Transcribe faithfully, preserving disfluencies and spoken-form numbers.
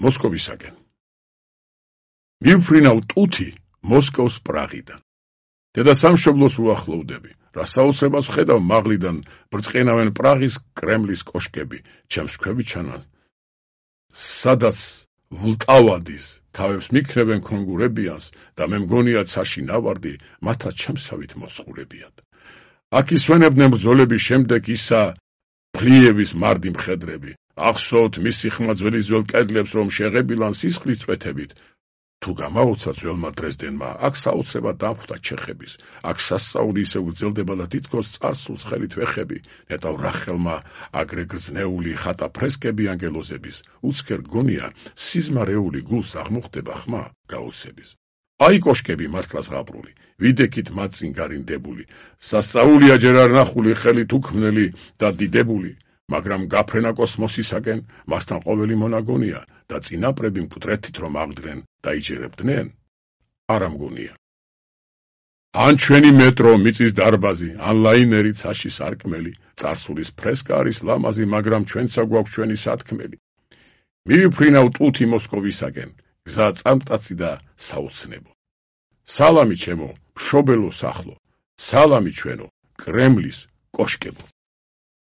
მოსკოვისაკენ. მივფრინავ ტუთი მოსკოვს პრაღიდან. დედა სამშობლოს უახლოვდები, რა საოცრებას ვხედავ მაღლიდან, ბრწყინავენ პრაღის კრემლის კოშკები, ჩემს ქვევიჩანან, სადაც ვლტავადის თავებს მიქნებენ ქონგურებიანს და მე მგონია ცაში ნავარდი, მათაც ჩემსავით მოსყურებიათ. აქ ისვენებდნენ ბრძოლების შემდეგ ისა ფლიევის მარდი მხედრები. ახსოვთ მისი ხმა ძველი ძველ კედლებს რომ შეღებილან სისხლის წვეთებით. თუ გამაუცა ძველმა დრეზდენმა, აქ საოცრება დამხვდა ჩეხების, აქ სასწაული ისე გრძელდება და თითქოს წარსულს ხელით ვეხები, ნეტავ რახელმა აგრე გრძნეული ხატა ფრესკები ანგელოზების, უცქერ გონია სიზმარეული გულს აღმოხდება ხმა გაოცების. აი კოშკები მართლა ზღაპრული, ვიდექით მათ წინ გარინდებული, სასწაულია ჯერ არ ნახული ხელით უქმნელი და დიდებული, მაგრამ გაფრენა კოსმოსისაკენ, მასთან ყოველი მონაგონია და წინაპრები მკვდრეთით რომ აღდგნენ და იჯერებდნენ, არა მგონია. ან ჩვენი მეტრო, მიწის დარბაზი, ან ლაინერი ცაში სარკმელი, წარსულის ფრესკა არის ლამაზი, მაგრამ ჩვენცა გვაქვს ჩვენი სათქმელი. მივიფრინავ ტუთი მოსკოვისაკენ, გზა წამტაცი და საოცნებო. სალამი ჩემო, მშობელო სახლო, სალამი ჩვენო, კრემლის კოშკებო.